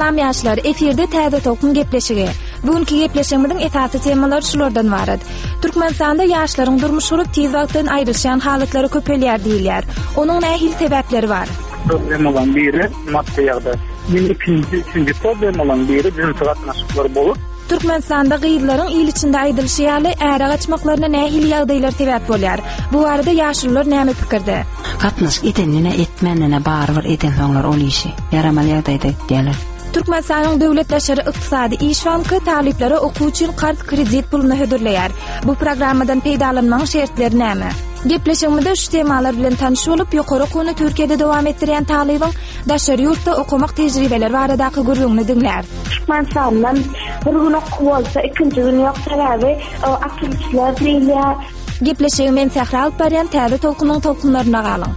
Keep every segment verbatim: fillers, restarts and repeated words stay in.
Salam ýaşlar, efirde Täze Tolkun gepleşigi. Bugünkü gepleşigimiziň esasy temalary şulardan ibarat. Türkmenistanda ýaşlaryň durmuş gurup tiz wagtdan aýrylşan halatlary köpelýär diýilýär. Onuň nähili sebäpleri bar? Problemalaryň biri maddy ýagdaý. Ýene ikinji, üçünji problemalaryň biri jynsy gatnaşyklar bolup. Türkmenistanda gyzlaryň il içinde aýdylyşy ýaly äre gaçmaklaryna nähili ýagdaýlar sebäp bolýar? Bu barada ýaşulular näme pikirde? Gatnaşyk edenine etmänine barybir eden soňlar ol işi. Ýaramaly ýagdaýda etýärler. Türkmenistanyň Döwlet Daşary Ykdysady Iş Banky talyplara okuw üçin karz kredit puluny hödürleýär. Bu programmadan peýdalanmagyň şertleri näme? Gepleşigimizde şu temalar bilen tanyş bolup, ýokary okuwyny Türkiýede dowam etdirýän talybyň daşary ýurtda okamak tejribeleri baradaky gürrüňini diňläris. Türkmenistandan bir gün okuw bolsa, ikinji gün ýok, sebäbi açylyşlar diýilýär. Gepleşigi men Sähra alyp barýan Täze Tolkunyň tolkunlaryna galyň.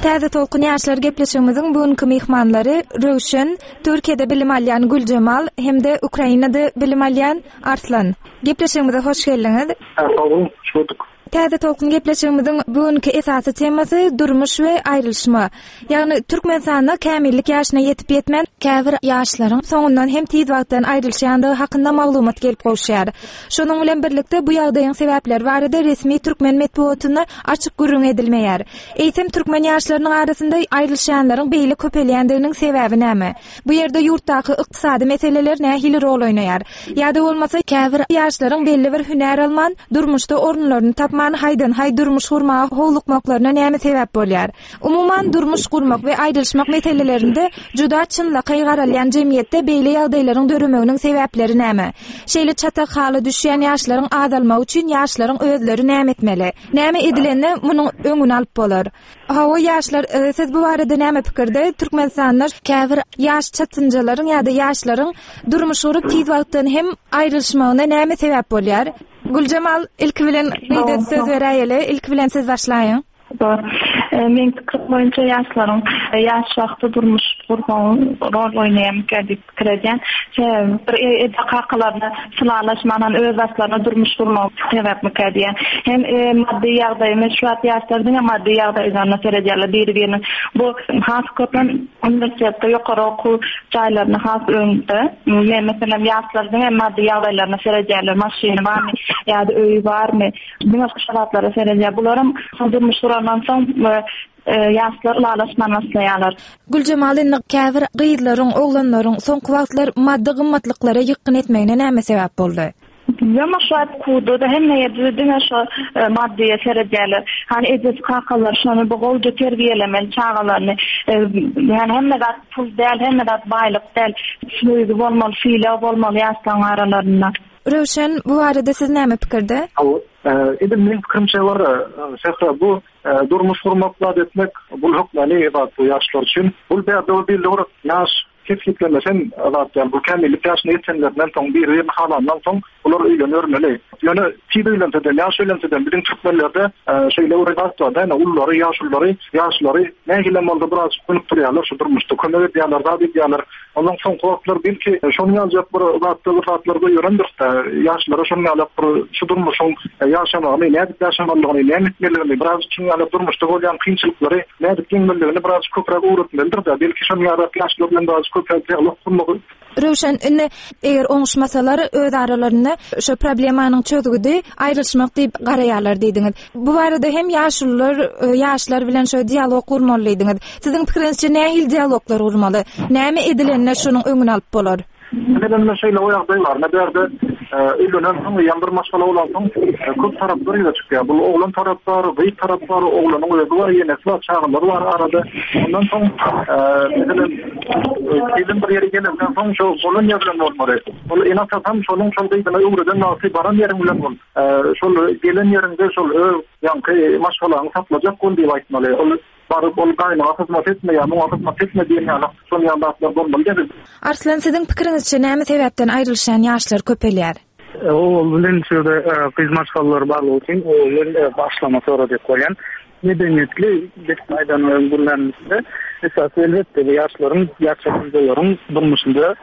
Täze Tolkun ýaşlar gepleşigimiziň bugünkü myhmanlary Röwşen, Türkiýede bilim alýan Güljemal hem-de Ukrainada bilim alýan Arslan. Gepleşigimize hoş geldiňiz. Sag boluň, hoş gördük. Täze Tolkun gepleşigimiziň bugünkü esasy temasy durmuş we aýrylşma. Ýagny Türkmenistanda kämillik ýaşyna ýetip ýetmän käbir ýaşlaryň soňundan hem tiz wagtdan aýrylşandygy hakynda maglumat gelip gowşýar. Şonuň bilen birlikde bu ýagdaýyň sebäpleri barada resmi türkmen metbugatynda açyk gürrüň edilmeýär. Eýsem türkmen ýaşlarynyň arasynda aýrylşanlaryň beýle köpelýändiginiň sebäbi näme? Bu ýerde ýurtdaky ykdysady meseleler nähili rol oýnaýar? Ýa-da bolmasa käbir ýaşlaryň belli bir hünär alman, durmuşda orunlaryny tapman haýdan-haý durmuş gurmaga howlukmaklaryna näme sebäp bolýar? Umuman durmuş gurmak we aýrylşmak meselelerinde juda çynlakaý garalýan jemgyýetde beýle ýagdaýlaryň döremeginiň sebäpleri näme? Şeýle çatak hala düşýän ýaşlaryň azalmagy üçin ýaşlaryň özleri näme etmeli? Näme edilende munuň öňüni alyp bolar? Hawa ýaşlar, e, siz bu barada näme pikirde? Türkmenistanda käbir ýaş çatynjalaryň ýa-da ýaşlaryň durmuş gurup tiz wagtdan hem aýrylşmagyna näme sebäp bolýar? Güljemal, ilki bilen gyza söz beräýeli, ilki bilen siz başlaýyň. Doğru. Men pikir boýunça ýaşlaryň ýaş wagty durmuş gurmagyň rol oýnaýan diýip pikir edýän. Sebäbi bir eje kakalaryna sylalaşmanan öz başlaryna durmuş gurmak sebäpmikä diýen. Hem maddy ýagdaýy, şu wagt ýaşlar diňe maddy ýagdaýlaryna seredýärler biri-biriniň. Bu has köpem uniwersitetde ýokary okuw jaýlaryna has öňde. Men meselem ýaşlar diňe maddy ýagdaýlaryna seredýärler, maşyny barmy ýa-da öýi barmy? Diňe şu zatlara seredýär. Bularam durmuş gurandan soň ýaşlar ylalaşman başlaýarlar. Güljemal, indi käbir gyzlaryň, oglanlaryň soňky wagtlar maddy gymmatlyklara ýykgyn etmegine näme sebäp boldy? Bilmem, şu wagt kuwda hemme ýerde diňe şu maddyýa seredýärler. Hani ejesi kakalar şony bu gowja terbiýelemeli çagalaryny. Ýani hemme zat pul däl, hemme zat baýlyk däl. Söýgi bolmaly, sylag bolmaly ýaşlaryň aralarynda. Röwşen, bu barada siz näme pikirde? Edil meň pikirimçe bar, Sähra, bu durmuş gurmak, zat etmek, bu hökmany zat bu ýaşlar üçin. Bu bärde bir belli bir ýaş kesgitlemesen zat ýaly, bu kämillik ýaşyna ýetenlerinden soň, bir-birini halandan soň bular öýlenmeli. Ýöne tiz öýlense-de, ýaş öýlense-de biziň türkmenlerde şeýle bir zat bar, ýani ullary, ýaşullary, ýaşlary nähili bolsa biraz gönükdirýärler şu durmuşda, kömek edýärler, zat edýärler. Ondan soňky wagtlar belki şonuň ýaljak bir zatda bir zatlar goýurandyr. Ýaşlara şonuň ýaly bir şu durmuşyň ýaşamagyny, nädip ýaşamalydygyny, näme etmelidigini, biraz şonuň ýaly durmuşda bolýan kynçylyklary nädip ýeňmelidigini biraz köpräk öwretmelidir-de. Belki şonuň ýaly ýaşlar bilen biraz köpräk dialog gurmagy. Röwşen, indi eger oňuşmasalar öz aralarynda şu problemanyň çözgüdi aýrylşmak diýip garaýarlar diýdiňiz. Bu barada hem ýaşulular, ýaşlar bilen şu dialog gurmaly diýdiňiz. Siziň pikiriňizçe nähili dialoglar gurmaly? Näme edilende şonuň öňüni alyp bolar? Meselem, şeýle o ýagdaý bar. Ne bärde öýlenen soň, ýa bir maşgala bolan soň köp taraplar ýüze çykýar. Bu oglan tarap bar, gyz tarap bar, oglanyň özi bar, ýenesi bar, çagalary bar arada. Ondan soň, meselem, gelin bir ýere gelenden soň şo bolan ýer bilen bolmaly. Ol ene-atasam şonuň şol gyzyna öwreden wagty baran ýeriň bilen bol. Şol gelen ýeriňde şol öz ýaňky maşgalaňy saklajak bol diýip aýtmaly. Ol baryp ol gaýnaga hyzmat etme ýa muňa hyzmat etme diýen ýaly şol ýaly zatlar bolmaly däl. Arslan, siziň pikiriňizçe näme sebäpden aýrylşan ýaşlar köpelýär? Ol bilen şurada gyz maşgalalar barlygy üçin ol bilen başlama sonra diýip goýan. Medeniýetli bir aýdan gürlänimizde esasy elbetde bu ýaşlaryň, ýaş durmuşynda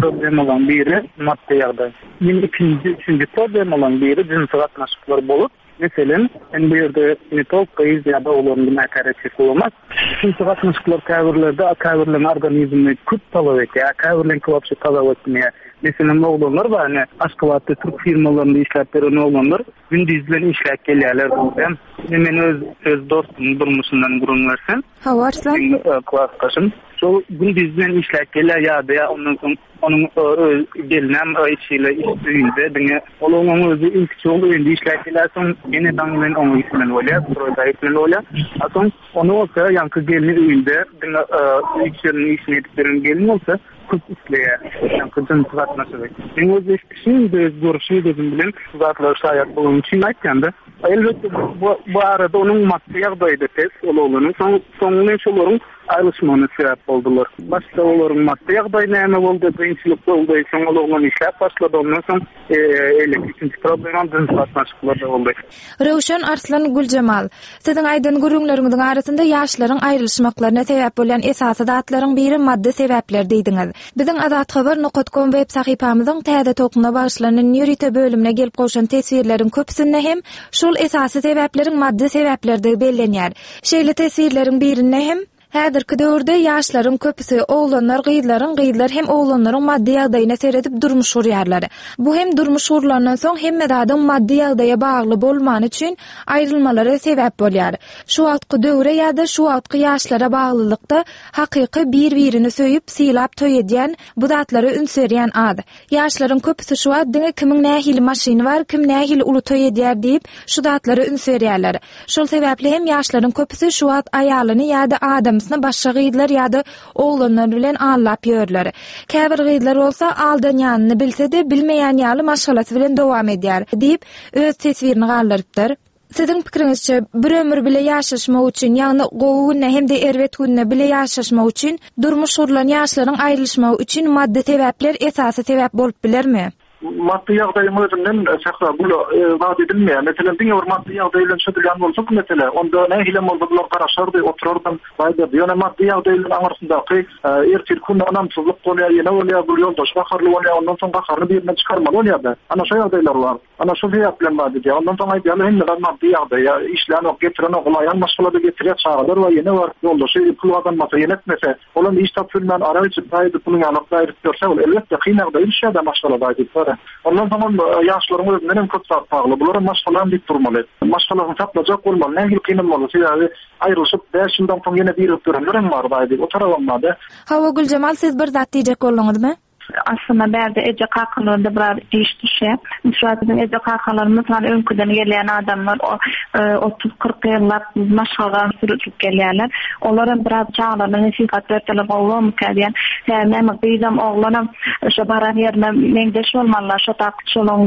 problemalaryň biri maddy ýagdaý. Ýene ikinji, üçünji problemalaryň biri jynsy gatnaşyklar bolup, Meselem, en bu ýerde ne tok gyz ýa-da oglan günäkär etjek bolamaz. Çünki gatnaşyklar käbirlerde käbirleriň organizmi köp talap etýär, käbirleriň wapşe talap etmeýär. Meselem, oglanlar bar, ne Aşgabatda türk firmalarynda işläp beren oglanlar gündüz bilen işläp gelýärler diýen. Men öz öz dostum durmuşyndan gürrüň bersem. Hawa, Arslan. Meň klasdaşym. Şol gündüz bilen işläp gelýär ýa-da ýa ondan soň onuň öz gelinem işiyle iş öýünde diňe ol onuň özi ilk çogul öýünde işläp gelýär, soň ene daň bilen oňa gitmeli bolýar, stroýda gitmeli bolýar. A soň ony bolsa ýaňky gelni öýünde diňe öý işleriniň işini edip beren gelin bolsa köp isleýär. Ýaňky jynsy gatnaşygy. Men öz eşitişim, öz görüşüm gözüm bilen zatlar şaýat bolan üçin aýtýan-da. Elbetde bu, bu arada onuň maddy ýagdaýy pes, ol oglanyň soň soňuna şolaryň aýrylyşmagyna sebäp boldular. Başda olaryň maddy ýagdaýy näme boldy, kynçylyk boldy, soň ol oglan işläp başlady, ondan soň eýleki ikinji problema jynsy gatnaşyklarda boldy. Röwşen Arslan Güljemal, siziň aýdan gürrüňleriňiziň arasynda ýaşlaryň aýrylyşmaklaryna sebäp bolýan esasy zatlaryň biri maddy sebäpler diýdiňiz. Biziň Azathabar nokta com web sahypamyzyň täze tokuna bagyşlanan ýörite bölümine gelip gowşan teswirleriň köpüsinde hem şol esasy sebäpleriň maddy sebäplerdigi bellenýär. Şeýle teswirleriň birinde hem häzirki döwürde ýaşlaryň köpüsi oglanlar, gyzlaryň, gyzlar hem oglanlaryň maddy ýagdaýyna seredip durmuş gurýarlar. Bu hem durmuş gurlandan soň hemme zadyň maddy ýagdaýa bagly bolmany üçin aýrylmalara sebäp bolýar. Şu wagtky döwre ýa-da şu wagtky ýaşlara baglylykda hakyky bir-birini söýüp, sylap toý edýän, bu zatlara üns berýän az. Ýaşlaryň köpüsi şu wagt diňe kimiň nähili maşyny bar, kim nähili uly toý edýär diýip, şu zatlara üns berýärler. Şol sebäpli hem ýaşlaryň köpüsi şu wagt aýalyny ýa-da adamsyny başga gyzlar ýa-da oglanlar bilen allap ýörler. Käbir gyzlar bolsa aldanýanyny bilse-de bilmeýän ýaly maşgalasy bilen dowam edýär diýip, öz teswirini galdyrypdyr. Siziň pikiriňizçe bir ömür bile ýaşaşmak üçin, ýagny gowy günde hem-de erbet günde bile ýaşaşmak üçin durmuş gurlan ýaşlaryň aýrylyşmagy üçin maddy sebäpler esasy sebäp bolup bilermi? Maddy ýagdaýyň özünden şähra bu zat edilmeýär. Meselem, diňe bir maddy ýagdaý bilen çözülýän bolsa bu mesele, onda nähili bolsa bular garaşardy, oturardy, baýdardy. Ýöne maddy ýagdaý bilen aňyrsyndaky ertir günde ynamsyzlyk bolýar, ýene bolýar, bu ýoldaş gaharly bolýar, ondan soň gaharyny birinden çykarmaly bolýar-da. Ana şu ýagdaýlar bar. Ana şu sebäp bilen bar diýýär. Ondan soň aýdýarlar, hemme zat maddy ýagdaý, işlän ok, getiren ok, ulaýan maşgalada getirýär, çagalar bar, ýene bar, ýoldaşy pul gazanmasa, ýene etmese, olam iş tapyp bilmän ara içip, gaýdyp pulyň ýalyk gaýdyp görse, ol elbetde kyn ýagdaý düşýär-de maşgalada aýdyp. Ondan soň ýaşlaryň özünden hem köp zat bagly. Bular maşgalam diýip durmaly. Maşgalasyny saklajak bolmaly. Nähili kyn bolmaly? Sebäbi aýrylyşyp bäş ýyldan soň ýene birigip duranlar hem bar aýdyp. O tarabam bar-da. Hawa Güljemal, siz bir zat diýjek bolduňyzmy? Aslynda bärde eje kakalarda biraz iş düşýär. Şu biziň eje kakalarymyz hani öňküden gelýän adamlar otuz kyrk ýyllap maşgala sürüp gelýärler. Olar hem biraz çagalaryna nesihat berseler gowy bolmyka diýen. Näme gyzam oglanam şo baran ýerine meňzeş bolmalylar. Şo tak şolaň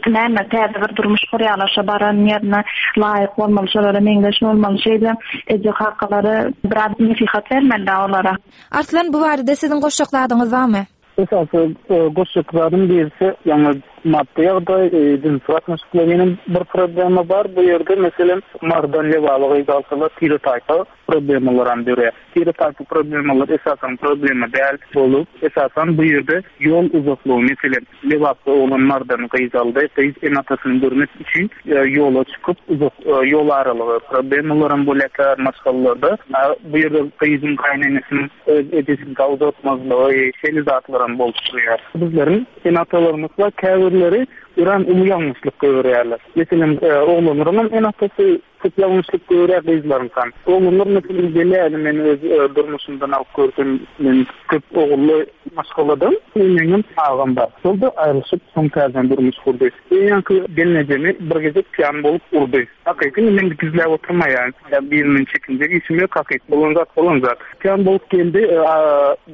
näme täze bir durmuş gurýarlar. Şo baran ýerine laýyk bolmaly, şolara meňzeş bolmaly. Şeýle eje kakalary biraz nesihat bermeli olara. Arslan, bu barada siziň goşjak zadyňyz barmy? Esasy goşjak zadym birisi, ýagny maddy ýagdaý, jynsy gatnaşyklar ýene bir problema bar. Bu ýerde meselem Mardan Lebaba gyz alsalar tire taýpa problemalar hem dörýär. Tire taýpa problemalar esasan problema däl bolup, esasan bu ýerde ýol uzaklygy, meselem Lebapda oglan Mardan gyz aldy, gyz ene-atasyny görmek üçin ýola çykyp uzak ýol aralygy problemalar hem bolýar maşgalalarda. Bu ýerde gyzyň gaýynenesiniň öz ejesini gawzatmazlygy, şeýle zatlar hem bolup durýar. Bizleriň ene-atalarymyz we käbirleri öran uly ýalňyşlyk görýärler. Meselem, oglanlaryň hem ene-atasy köp ýalňyşlyk görýär gyzlaryň hem. Oglanlar meselem gelýär, men öz durmuşymdan alyp gördüm, men köp ogully maşgaladan, meňem agam bar. Şol da aýrylyşyp soň täzeden durmuş gurdy. Ýaňky gelnejemi bir gezek piyan bolup urdy. Hakyky men gizläp oturmaýan, ýa birinden çekinjek işim ýok, hakyky bolan zat bolan zat. Piyan bolup geldi,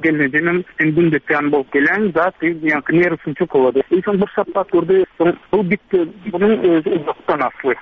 gelnejemem sen günde piyan bolup gelen zat, ýaňky nerwsini çok olady. Soň bir şapak urdy, soň bu bitti, bunuň özi uzakdan asly.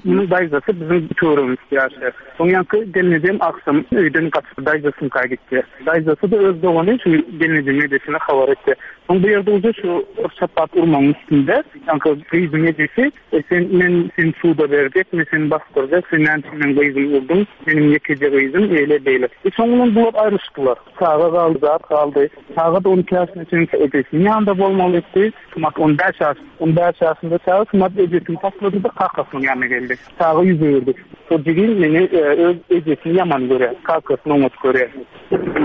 Bunuň daýzasy biziň töweregimizde ýaşaýar. Soň ýaňky gelnejem akşam öýden gaçyp daýzasynyňka gitdi. Daýzasy da öz dogany şu gelnejeme Ejesine habar etdi. Soň bu ýerde uje şu şapat urmagyň üstünde, ýaňky gyzyň ejesi, e, sen men seni suda berjek, men seni basdyrjak, sen näme üçin meň gyzymy urduň, meniň ýekeje gyzym, eýle beýle. E, soňundan bular aýrylyşdylar. Çaga galdy, zat galdy. Çaga da on iki ýaşyna çenli ejesiniň ýanynda bolmaly etdi. Şumat on bäş ýaş, on bäş ýaşynda çaga şumat ejesini taşlady-da kakasynyň ýanyna geldi. Çaga ýüz öwürdi. Şo jigim meni, e, öz ejesini ýaman görýär, kakasyny oňat görýär.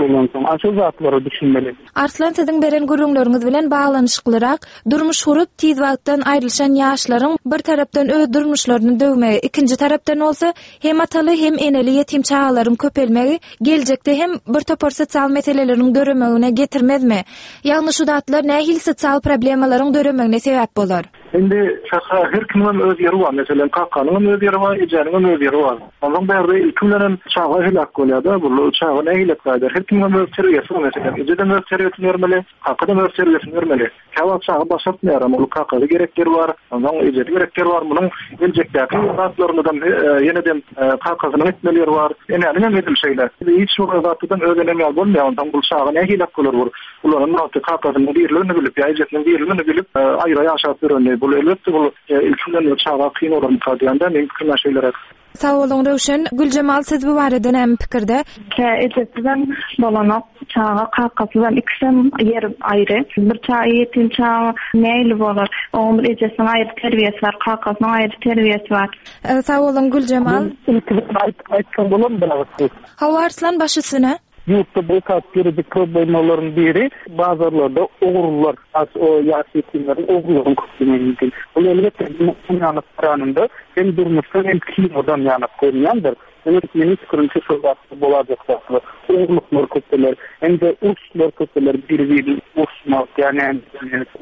Ondan soň şu zatlara düşünmeli. Arslan, siziň beren gürrüňleriňiz bilen baglanyşyklyrak, durmuş gurup tiz wagtdan aýrylyşan ýaşlaryň bir tarapdan öz durmuşlaryny döwmegi, ikinji tarapdan bolsa hem ataly hem eneli ýetim çagalaryň köpelmegi geljekde hem bir topar sosial meseleleriň döremegine getirmezmi? Ýagny şu zatlar nähili sosial problemalaryň döremegine sebäp bolar? Indi şaka her kimiň öz ýeri bar. Meselem, kakanyň hem öz ýeri bar, ejäniň hem öz ýeri bar. Ondan bärde ilki bilen hem çaga helak bolýar-da, bu çaga nähili gaýdar? Her kimiň hem öz terbiýesi bar. Meselem, ejedem öz terbiýesini bermeli, kakadam öz terbiýesini bermeli. Käwagt çaga başartmaýar, amma ol kakasy gerek ýeri bar, ondan ejesi gerek ýeri bar. Munuň geljekdäki zatlaryndan, e, ýene-de, e, kakasynyň etmeli ýeri bar. Enäniň hem edil şeýle. Hiç bir zatdan öz enem ýaly bolmaýar. Ondan bu çaga nähili bolar bu? Ularyň wagty kakasynyň birligini bilip, ýa ejesiniň birligini bilip, e, aýra ýaşap ýörenli. Bu elbetde bu, e, ilki bilen bu çaga kyn bolar diýende men pikirim şeýleräk. Sag boluň Röwşen. Güljemal, siz bu barada näme pikirde? Kä ejesizem bolanok, çaga kakasyndan ikisem ýeri aýry. Bir çaga ýetim çaga nähili bolar? Onuň bir ejesiniň aýry terbiýesi bar, kakasynyň aýry terbiýesi bar. E, sag boluň Güljemal. Men ilki bilen aýt-, aýtsam bolarmy bir agyz? Hawa Arslan, baş üstüne. Ýurtda bu esas gerekli problemalaryň biri bazarlarda ogurlar, as o ýaş ýetimleriň ogurlaryň köplügine mümkin. Bu elbetde ýanyk karanynda hem durmuşdan hem kinodan ýanyk görünýändir. Demek meniň pikirimçe şol zatlar bolajak zatlar. Ogurluklar köpeler, hem de uruşlar köpeler, bir-birini uruşmak, ýagny,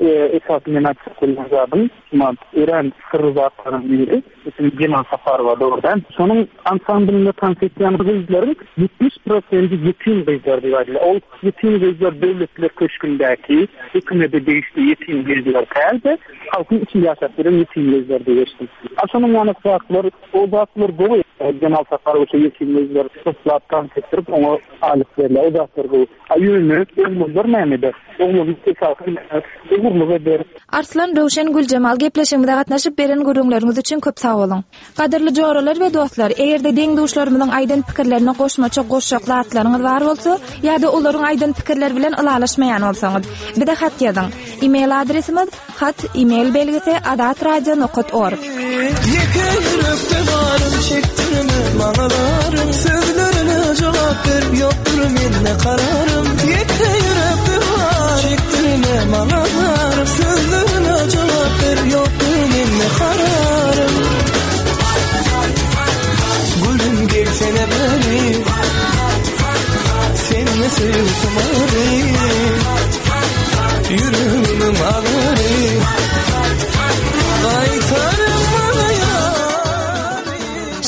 e, esas men aýtjak bolýan zadym, şumat örän syrly zatlaryň biri, Mesela Jemal Saparowa dogrudan. Şonuň ansamblynda tans etýän gyzlaryň ýetmiş prosenti ýetim gyzlar diýip aýdylýar. Ol ýetim gyzlar döwletler köşgündäki hökümete degişli ýetim gyzlar däldi, halkyň içinde ýaşap ýören ýetim gyzlar diýip geçdim. A şonuň ýaly zatlar, o zatlar gowy. Jemal Saparowa şo ýetim gyzlar toplap tans etdirip, oňa alyp berler. O zatlar gowy. A ýöne oglanlar näme eder? Oglanlar esasy ogurlyk eder. Arslan, Röwşen, Güljemal gepleşigimize gatnaşyp beren gürrüňleriňiz üçin köp sag boluň. Gadyrly joralar we dostlar, eger-de deň-duşlarymyzyň aýdan pikirlerine goşmaça goşjak zatlaryňyz bar bolsa, ýa-da olaryň aýdan pikirleri bilen ylalaşmaýan bolsaňyz, bize hat ýazyň. E-mail adresimiz hat e-mail belgisi azatradio nokta org. Ýeke ýürekde barym çekdirme manalarım, sözlerine jogap ber, ýokdur mende kararym. Ýeke ýürekde bar çekdirme manalarım, sözlerine jogap ber, ýokdur mende kararym. Gülüm gelsene beri, seninle sevdim arı, yüreğimin ağrı, qaytarım bana yâri.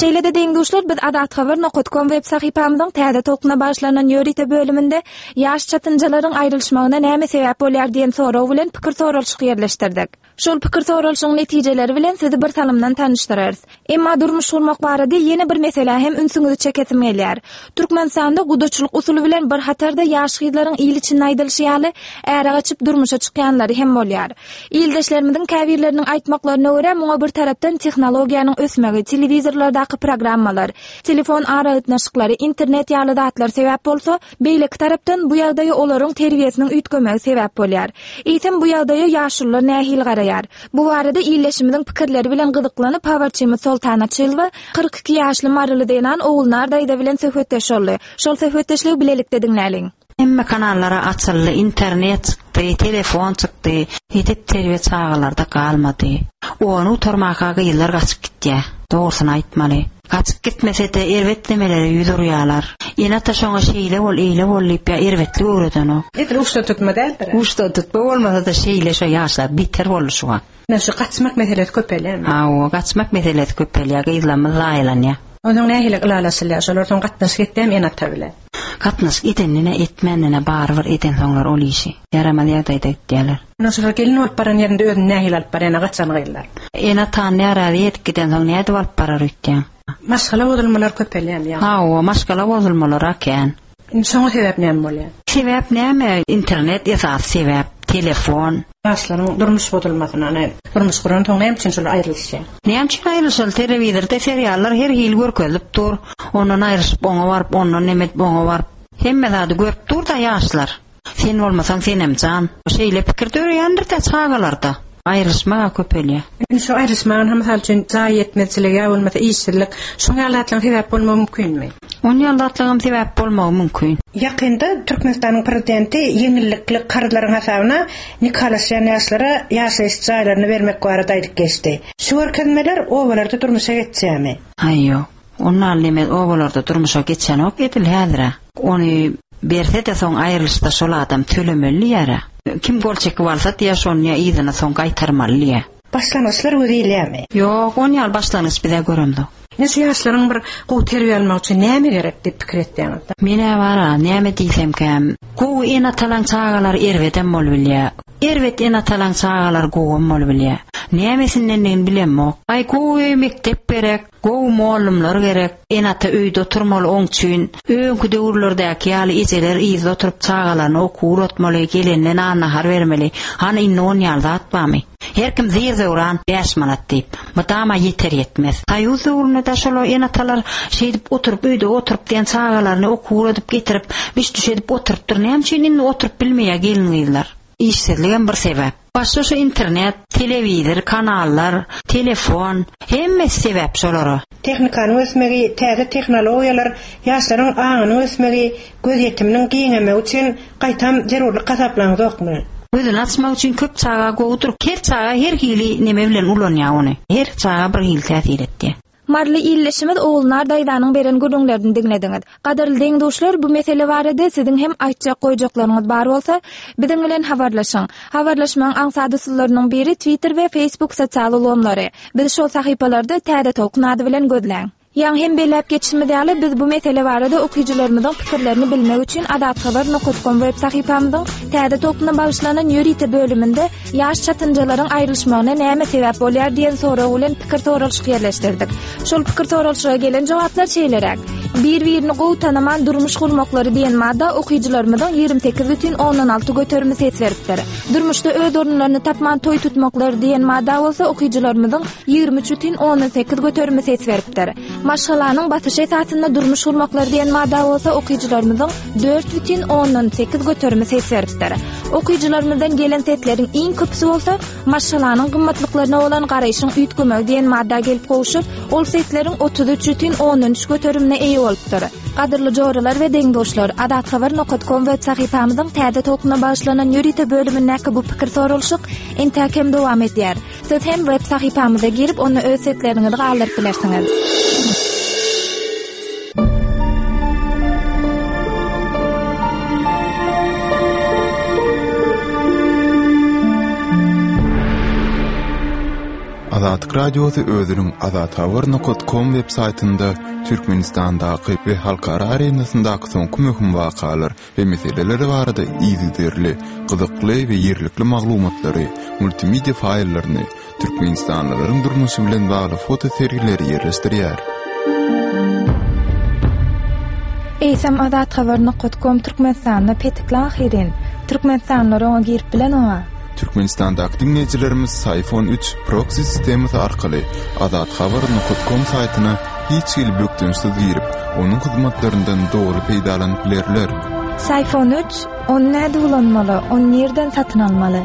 Şeýle-de deň-duşlar, biz azathabar nokta com web sahypamyzyň täze tolkuna başlanan ýörite bölüminde ýaş çatynjalaryň aýrylyşmagyna näme sebäp bolýar diýen sorag bilen pikir soralyşyk ýerleşdirdik. Şol pikir soralyşyň netijeleri bilen sizi bir salymdan tanyşdyrarys. Emma durmuş gurmak barada ýene bir mesele hem ünsüňizi çekesim gelýär. Türkmenistanda gudaçylyk usuly bilen bir hatarda ýaş gyzlaryň il içinde aýdylyşy ýaly äre gaçyp durmuşa çykýanlary hem bolýar. Ildeşlerimiziň käbirleriniň aýtmaklaryna görä, muňa bir tarapdan tehnologiýanyň ösmegi, telewizorlardaky programmalar, telefon aragatnaşyklary, internet ýaly zatlar sebäp bolsa, beýleki tarapdan bu ýagdaýa olaryň terbiýesiniň üýtgemegi sebäp bolýar. Eýsem bu ýagdaýa ýaşulular nähili garaýar? Bu barada ildeşimiziň pikirleri bilen gyzyklanyp habarçymyz Soltana Çylwa kyrk iki ýaşly Maryly zenan Ogulnar daýza bilen söhbetdeş boldy. Şol söhbetdeşligi bilelikde diňläliň. Hemme kanallara açyldy, internet çykdy, telefon çykdy. Edep terbiýe çagalarda galmady. Ony utarmaka gyzlar gaçyp gitýär. Dogrusyny aýtmaly. Gaçyp gitmese-de erbet nemelere ýüz urýarlar. Ene-ata şoňa şeýle bol, eýle bol diýip ýa erbetlik öwreden o. Edil uçta tutma däldir. Uçta tutma bolmasa-da şeýle şo ýaşlar beter boldy şu wagt. Näme şu gaçmak meselesi köpelýär. Hawa, gaçmak meselesi köpelýär, gyzlarymyz zaýalanýar. Onuň nähili ylalaşylýar? Şolar soň gatnaşyk etýärmi ene-ata bilen? Gatnaşyk edenine etmänine barybir eden soňlar ol işi. Ýaramaz ýagdaýda gitýärler. Ene şolar gelin bolup baran ýerinde özüni nähili alyp barýar, gaçan gyzlar? Ene-atany närazy edip giden soň nädip alyp barar öýtýän? Maşgala bozulmalar köpelýär ýa. Hawa, maşgala bozulmalar kän. Indi şoňa sebäp näme bolýar? Sebäp näme? Internet esasy sebäp, telefon. Ýaşlaryň durmuş bozulmasyna, ýani durmuş guran soň näme üçin şolar aýrylyşýar? Näme üçin aýrylyşaly? Telewizorda seriallar her hili görkezilip dur. Ondan aýrylyşyp oňa baryp, ondan neme edip oňa baryp. Hemme zady görüp dur da ýaşlar. Sen bolmasaň senem jan. Şeýle pikir döreýändir-de çagalarda. Aýrylyşmaga köpelýär. Indi şu aýrylyşmagyň hem mysal üçin jaý ýetmezçiligi ýa bolmasa işsizlik, şoň ýaly zatlaryň sebäp bolmagy mümkinmi? Oň ýaly zatlaryň sebäp bolmagy mümkin. Ýakynda Türkmenistanyň prezidenti ýeňillikli karzlaryň hasabyna nikalaşýan ýaşlara ýaşaýyş jaýlaryny bermek barada aýdyp geçdi. Şu görkezmeler obalarda durmuşa geçýärmi? Aý ýok. Ondan neme obalarda durmuşa geçenok edil häzire. Ony berse de soň aýrylyşda şol adam tölemeli ýara. Kim gol çekip alsa diýe şony ýa yzyna soň gaýtarmaly diýe. Başlangyçlar gözleýärmi? Ýok, on ýaly başlangyç bize göremzok. Ine şu ýaşlaryň bir gowy terbiýe almak üçin näme gerek diýip pikir etýäňiz? Menä bara, näme diýsemkäm, gowy ene-atalaň çagalary erbedem bolup bilýär. Erbet ene-atalaň çagalary gowam bolup bilýär. Nämesindendigini bilemok. Aý gowy mekdep gerek, gowy mollumlar gerek. Ene-ata öýde oturmaly oň üçin. Öňki döwürlerdäki ýaly ejeler yzda oturyp çagalaryny okuw uratmaly, gelenden nahar bermeli. Hany indi on ýaly zat barmy? Her kim zir döwran bäş manat diýip, mydama ýeter ýetmez. Soýuz döwründe de şolar ene-atalar şeýdip oturyp öýde oturyp diýen çagalaryny okuw uradyp getirip, biş düş edip oturypdyr. Näme üçin indi oturyp bilmeýär gelin gyzlar? Işsizligem bir sebäp. Başga şu internet, telewizor, kanallar, telefon, hemmesi sebäp şolara. Tehnikanyň ösmegi, täze tehnologiýalar, ýaşlaryň aňynyň ösmegi, göz ýetiminiň giňemegi üçin gaýtam zerurlyk hasaplaňyzokmy? Gözüni açmak üçin köp çaga gowudyr. Her çaga her hili neme bilen ulanýar ony. Her çaga bir hil täsir etdi. Marly illeşimiz Ogulnar daýzanyň beren gürrüňlerini diňlediňiz. Gadyrly deň-duşlar, bu mesele barada siziň hem aýtjak goýjaklaryňyz bar bolsa, biziň bilen habarlaşyň. Habarlaşmagyň aňsat usullarynyň biri Twitter we Facebook sosial ulgamlary. Biz şol sahypalarda Täze Tolkun ady bilen gözläň. Ýaň hem belläp geçişimiz ýaly biz bu mesele barada okyjylarymyzyň pikirlerini bilmek üçin azathabar nokta com web sahypamyzyň Täze Tolkuna bagyşlanan ýörite bölüminde ýaş çatynjalaryň aýrylyşmagyna näme sebäp bolýar diýen sorag bilen pikir soralyşyk ýerleşdirdik. Şol pikir soralyşyga gelen jogaplar şeýleräk. Bir-birini gowy tanaman durmuş gurmaklary diýen madda okyjylarymyzyň ýigrimi sekiz bütin ondan alty göterimi ses beripdir. Durmuşda öz orunlaryny tapman toý tutmaklary diýen madda bolsa okyjylarymyzyň ýigrimi üç bütin ondan sekiz göterimi ses beripdir. Maşgalanyň basyşy esasynda durmuş gurmaklary diýen madda bolsa okyjylarymyzyň dört bütin ondan sekiz göterimi ses beripdir. Okyjylarymyzdan gelen sesleriň iň köpüsi bolsa maşgalanyň gymmatlyklaryna bolan garaýşyň üýtgemegi diýen madda gelip gowşup, ol sesleriň otuz üç bütin ondan üç göterimine eýe bolupdyr. Gadyrly joralar we deň-duşlar, azathabar nokta com web sahypamyzyň Täze Tolkuna bagyşlanan ýörite bölümindäki bu pikir soralyşyk entäk hem dowam edýär. Siz hem web sahypamyza girip, onda öz sesleriňizi galdyryp bilersiňiz. Azatlyk Radiosy özüniň azathabar nokta com web saýtynda Türkmenistandaky we halkara arenasyndaky soňky möhüm wakalar we meseleler barada yzygiderli, gyzykly we ýerlikli maglumatlary, multimedia faýllaryny, Türkmenistanlylaryň durmuşy bilen bagly foto sergileri ýerleşdirýär. Eýsem azathabar nokta com Türkmenistanda petikli ahyrin. Türkmenistanlylar oňa girip bilen oňa. Türkmenistandaky diňleýjilerimiz Syfon üç proxy sistemasy arkaly azathabar nokta com saýtyna hiç hili bökdençsiz girip, onuň hyzmatlaryndan doly peýdalanyp bilerler. Syfon üç, ony näde ulanmaly, ony nirden satyn almaly?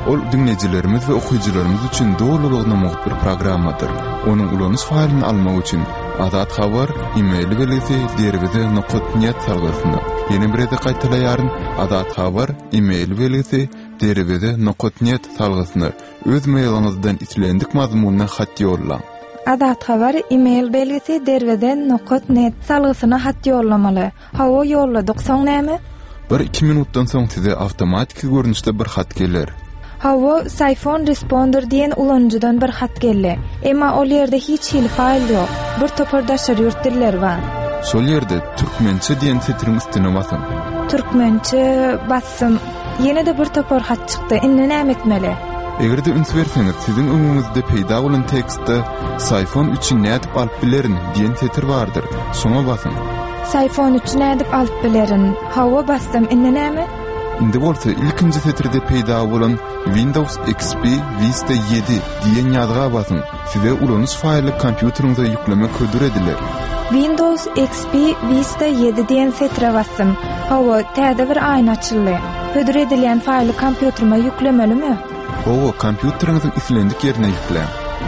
Ol diňleýjilerimiz we okyjylarymyz üçin dolulygyna mugt bir programmadyr. Onuň ulanyş faýlyny almak üçin Azat Habar e-mail belgisi derweze nokta net salgysyna. Ýene bir gezek gaýtalaýaryn, Azat Habar e-mail belgisi derweze nokta net salgysyna öz mailiňizden islendik mazmunly hat ýollaň. Azat Habar e-mail belgisi derweze nokta net salgysyna hat ýollamaly. Hawa ýolladyk, soň näme? Bir iki minutdan soň size awtomatiki görnüşde bir hat geler. Hawa, Syfon Responder diýen ulanyjydan bir hat geldi. Emma ol ýerde hiç hili faýl ýok. Bir topar daşary ýurt dilleri bar. Şol ýerde türkmençe diýen setiriň üstüne basyň. Türkmençe bassym. Ýene de bir topar hat çykdy. Indi näme etmeli? Eger de üns berseňiz, siziň öňüňizde peýda bolan tekstde Syfon üçin nädip alyp bilerin diýen setir bardyr. Şoňa basyň. Syfon üçi nädip alyp bilerin? Hawa basdym, indi näme? Indi bolsa ilkinji setirde peýda bolan Windows X P Vista ýedi diýen ýazga basyň. Size ulanyş faýly kompýuteriňize ýüklemek hödür ediler. Windows X P Vista ýedi diýen setire basdym. Hawa, täze bir aýna açyldy. Hödür edilýän faýly kompýuterime ýüklemelimi? Hawa, kompýuteriňiziň islendik ýerine ýükläň.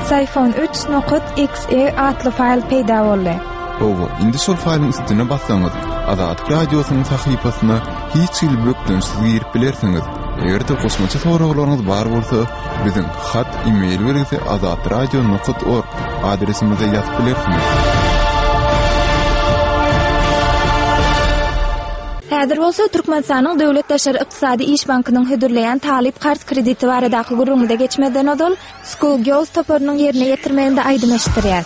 Syfon üç nokta X E atly faýl peýda boldy. Hawa, indi şol faýlyň üstüne bassaňyz, Azatlyk Radiosynyň sahypasyna hiç hili bökdençsiz girip bilersiňiz. Eger-de goşmaça soraglaryňyz bar bolsa, biziň hat e-mail belgisi azatradio nokta org adresimize ýazyp bilersiňiz. Häzir bolsa Türkmenistanyň Döwlet Daşary Ykdysady Iş Bankynyň hödürleýän talyp karz krediti baradaky gürrüňimize geçmezden ozal School Girls toparynyň ýerine ýetirmeginde aýdym eşitdirýär.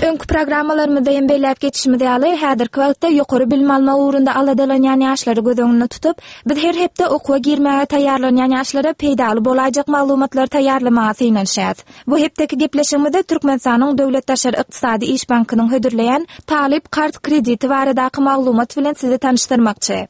Öňki programmalarymyzda hem belläp geçişimiz ýaly, häzirki wagtda ýokary bilim almak ugrunda aladalanýan ýaşlary göz öňünde tutup, biz her hepde okuwa girmäge taýýarlanýan ýaşlara peýdaly bolaýjak maglumatlary taýýarlamaga synanyşýarys. Bu hepdeki gepleşigimizde Türkmenistanyň Döwlet Daşary Ykdysady Iş Bankynyň hödürleýän talyp karz krediti baradaky maglumat bilen sizi tanyşdyrmakçy.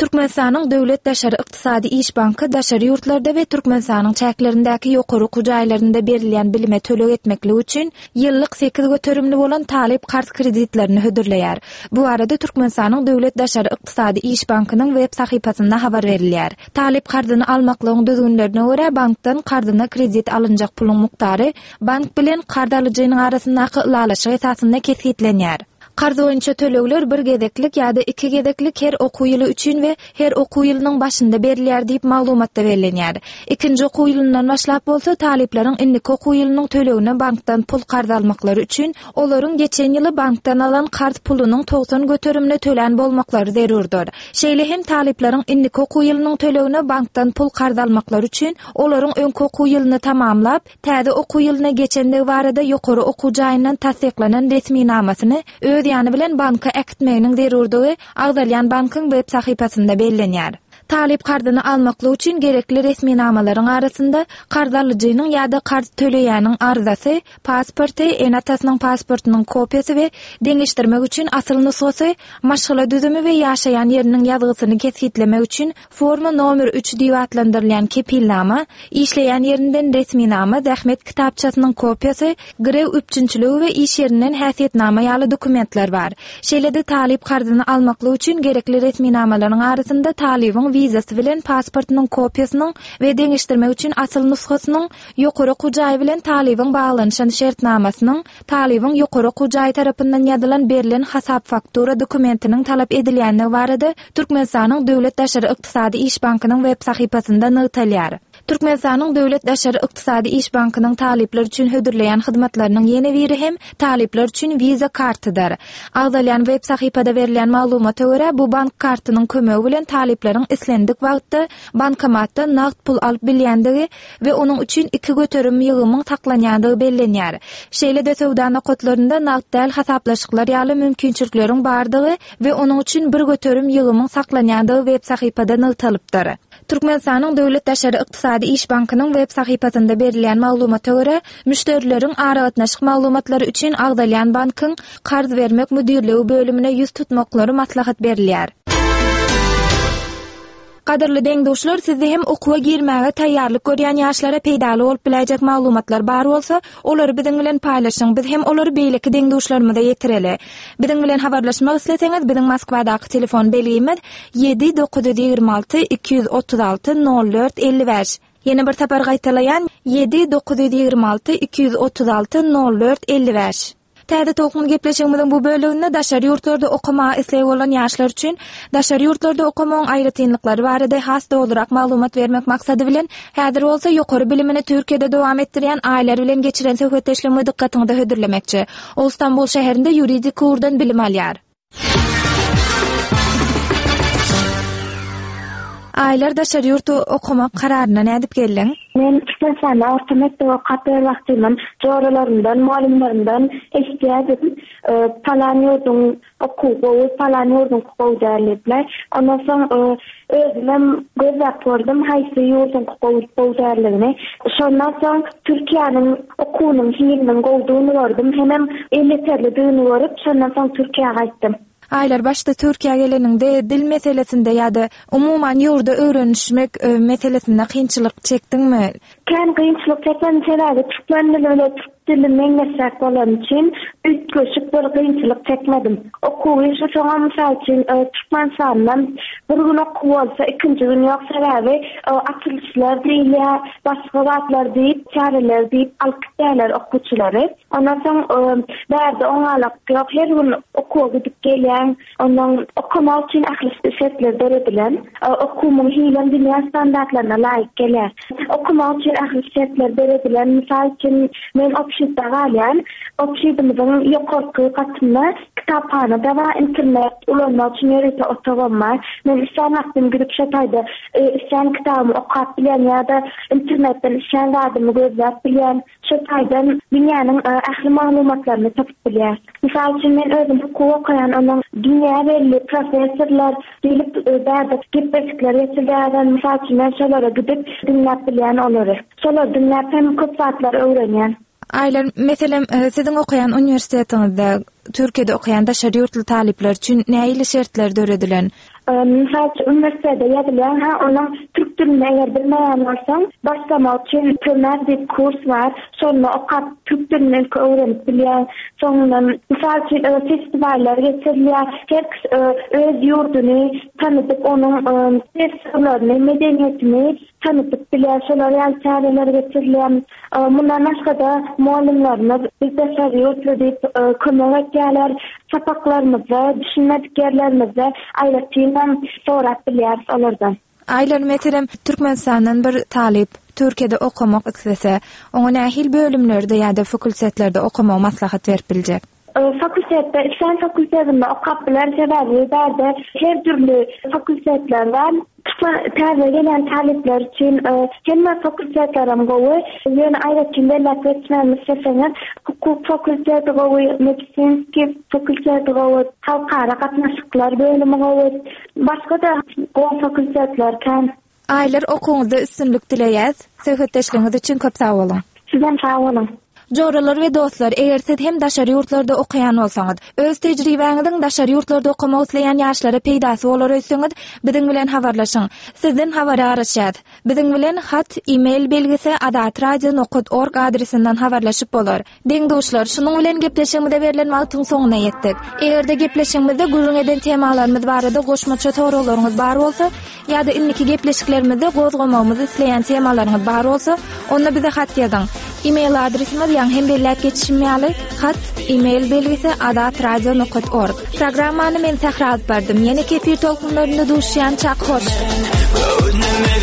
Türkmenistanyň Döwlet Daşary Ykdysady Iş Banky daşary ýurtlarda we Türkmenistanyň çäklerindäki ýokary okuw jaýlarynda berilýän bilime töleg etmeklik üçin ýyllyk sekiz göterimli bolan talyp karz kreditlerini hödürleýär. Bu barada Türkmenistanyň Döwlet Daşary Ykdysady Iş Bankynyň web sahypasynda habar berilýär. Talyp karzyny almaklygyň düzgünlerine görä bankdan karzyna kredit alynjak puluň mukdary bank bilen karz alyjynyň arasyndaky ylalaşyk esasynda kesgitlenýär. Karz boýunça tölegler bir gezeklik ýa-da iki gezeklik her okuw ýyly üçin we her okuw ýylynyň başynda berilýär diýip maglumatda bellenýär. Ikinji okuw ýylyndan başlap bolsa talyplaryň indiki okuw ýylynyň tölegine bankdan pul karz almaklary üçin olaryň geçen ýyly bankdan alan karz pulunyň togsan göterimine tölän bolmaklary zerurdyr. Şeýle hem talyplaryň indiki okuw ýylynyň tölegine bankdan pul karz almaklary üçin olaryň öňki okuw ýylyny tamamlap, täze okuw ýylyna geçendigi barada ýokary okuw jaýyndan tassyklanan resminamasyny öz ýany bilen banka äkitmeginiň zerurdygy agzalýan bankyň web sahypasynda bellenýär. Talyp karzyny almaklyk üçin gerekli resminamalaryň arasynda karz alyjynyň ýa-da karz töleýäniň arzasy, pasporty, ene-atasynyň pasportynyň kopiýasy we deňeşdirmek üçin asyl nusgasy, maşgala düzümi we ýaşaýan ýeriniň ýazgysyny kesgitlemek üçin forma nomer üç diýip atlandyrylýan kepilnama, işleýän ýerinden resminama, zähmet kitapçasynyň kopiýasy, girew üpjünçiligi we iş ýerinden häsiýetnama ýaly dokumentler bar. Şeýle-de talyp karzyny almaklyk üçin gerekli resminamalaryň arasynda talybyň wizasy bilen pasportynyň kopiýasynyň we deňeşdirmek üçin asyl nusgasynyň, ýokary okuw jaýy bilen talybyň baglanyşan şertnamasynyň, talybyň ýokary okuw jaýy tarapyndan ýazylan berlen hasap faktura dokumentiniň talap edilýändigi barada Türkmenistanyň Döwlet Daşary Ykdysady Iş Bankynyň web sahypasynda nygtalýar. Türkmenistanyň Döwlet Daşary Ykdysady Iş Bankynyň talyplar üçin hödürleýän hyzmatlarynyň ýene biri hem talyplar üçin Visa kartydyr. Agzalýan web sahypada berilýän maglumata görä, bu bank kartynyň kömegi bilen talyplaryň islendik wagtda bankomatdan nagt pul alyp bilýändigi we onuň üçin iki göterim ýygymyň saklanýandygy bellenýär. Şeýle-de söwda nokatlarynda nagt däl hasaplaşyklar ýaly mümkinçilikleriň bardygy we onuň üçin bir göterim ýygymyň saklanýandygy web sahypada nygtalypdyr. Türkmenistanyň Döwlet Daşary Ykdysady Iş Bankynyň web sahypasynda berilýän maglumata görä, müşderileriň aragatnaşyk maglumatlary üçin agzalýan bankyň karz bermek müdirligi bölümine ýüz tutmaklary maslahat berilýär. Gadyrly deň-duşlar, sizde hem okuwa girmäge taýýarlyk görýän ýaşlara peýdaly bolup biläýjek maglumatlar bar bolsa, olary biziň bilen paýlaşyň. Biz hem olary beýleki deň-duşlarymyza ýetireli. Biziň bilen habarlaşmak isleseňiz, biziň Moskwadaky telefon belgimiz ýedi dokuz ýüz ýigrimi alty iki ýüz otuz alty nol dört elli bäş. Ýene bir sapar gaýtalaýan ýedi dokuz ýüz ýigrimi alty iki ýüz otuz alty nol dört elli bäş. Täze tolkun gepleşigimiziň bu bölüminde daşary ýurtlarda okamaga islegi bolan ýaşlar üçin daşary ýurtlarda okamagyň aýratynlyklary barada has dogrurak maglumat bermek maksady bilen häzir bolsa ýokary bilimini Türkiýede dowam etdirýän aýlar bilen geçiren söhbetdeşligimi dykgatyňyza hödürlemekçi. Ol Stambul şäherinde ýuridik ugurdan bilim alýar. Aýlar daşary ýurtda okamak kararyna nädip geldiň? Men Türkmenistanda orta mekdep okap ýör wagtymdan joralarymdan, mugallymlarymdan eşitýärdim. E, Palan ýurduň okuw gowy, palan ýurduň gowy däl diýipler. Ondan soň e, özümem gözläp gördüm haýsy ýurduň gowy gowy däldigini. Şondan soň Türkiýäniň okuwynyň hiliniň gowudygyny gördüm, hemem elýeterlidigini görüp, şondan soň Türkiýä gaýtdym. Aýlar başda Türkiýä geleniňde dil meselesinde ýa-da umuman ýurda öwrenişmek e, meselesinde kynçylyk çekdiňmi? Kän kynçylyk çekmedim, sebäbi türkmen dili bilen türk dili meňzeşräk bolany üçin üýtgeşik bir kynçylyk çekmedim. Okuw işi soňa mysal üçin e, Türkmenistandan bir gün okuw bolsa ikinji gün ýok, sebäbi e, açylyşlar diýilýär, başga zatlar diýip, çäreler diýip alyp gitýärler okuwçylary. Ondan soň e, bärde oňalak ýok, her gün okuwa gidip gelýän, ondan okamak üçin ähli şertler döredilen, e, okuwyň hilem dünýä standartlaryna laýyk gelýär. Okamak üçin ähli şertler döredilen, mysal üçin men obşitde galýan, obşidimizin ýokarky gatynda kitaphana da bar, internet ulanmak üçin ýörite otagym bar. Men islän wagtym gidip şo taýda, e, islän kitabymy okap bilýän ýa-da internetden islän zadymy gözläp bilýän. Şo taýdan dünýäniň, e, ähli maglumatlaryny tapyp bilýär. Mysal üçin men özüm hukuk okaýan, onuň dünýä belli professorlar gelip, e, bärde gepleşikler geçirýärler. Mysal üçin men şolara gidip diňläp bilýän olary. Şolary diňläp hem köp zatlar öwrenýän. Aýlar, meselem, e, siziň okaýan uniwersitetiňizde Türkiýede okaýan daşary ýurtly talyplar üçin nähili şertler döredilen? E, mysal üçin uniwersitete ýazylýan, ha, onuň türk dilini eger bilmeýän bolsaň, başlamak üçin Tömer diýip kurs bar. Şonda okap türk dilini ilki öwrenip bilýän. Soňundan mysal üçin, e, festivallar geçirilýär. Her kişi, e, öz ýurduny tanıtıp, onuň, e, dessurlaryny, medeniýetini tanıtıp bilýär. Şolar ýaly çäreler geçirilýär. E, mundan başga-da mugallymlarymyz biz daşary ýurtly diýip, e, kömek etýärler. Sapaklarymyzda, düşünmedik ýerlerimizde aýratynam sorap bilýäris olardan. Aýlar, meselem, Türkmenistandan bir talyp Türkiýede okamak islese, oňa nähili bölümlerde ýa-da fakultetlerde okamagy maslahat berip biljek? E, fakultetde, islän fakultetinde okap biler, sebäbi bärde her dürli fakultetler bar. Türkmen täze gelen talyplar üçin, e, hemme fakultetlerim gowy. Ýöne aýratyn belläp geçmemi isleseňiz, hukuk fakulteti gowy, medisinski fakulteti gowy, halkara gatnaşyklar bölümi gowy. Başga-da gowy fakultetler kän. Aýlar, okuwyňyzda üstünlik dileýäs. Söhbetdeşligiňiz üçin köp sag boluň. Sizem sag boluň. Joralar we dostlar, eger siz hem daşary ýurtlarda okaýan bolsaňyz, öz tejribäňiziň daşary ýurtlarda okamak isleýän ýaşlara peýdasy bolar öýtseňiz, biziň bilen habarlaşyň. Sizden habara garaşýas. Biziň bilen hat, e-mail belgisi azatradio nokta org adresinden habarlaşyp bolar. Deň-duşlar, şunuň bilen gepleşigimize berlen wagtyň soňuna ýetdik. Eger-de gepleşigimizde gürrüň eden temalarymyz barada goşmaça soraglaryňyz bar bolsa, ýa-da indiki gepleşiklerimizde gozgamagymyzy isleýän temalaryňyz bar bolsa, onda bize hat ýazyň. E-mail adresimiz ýaňy hem belläp geçişim ýaly, hat, e-mail belgisi azatradio nokta org. Programmany men Sähra alyp bardym. Ýene kefir tolkunlarynda duşýan çak hoş. Göwnüme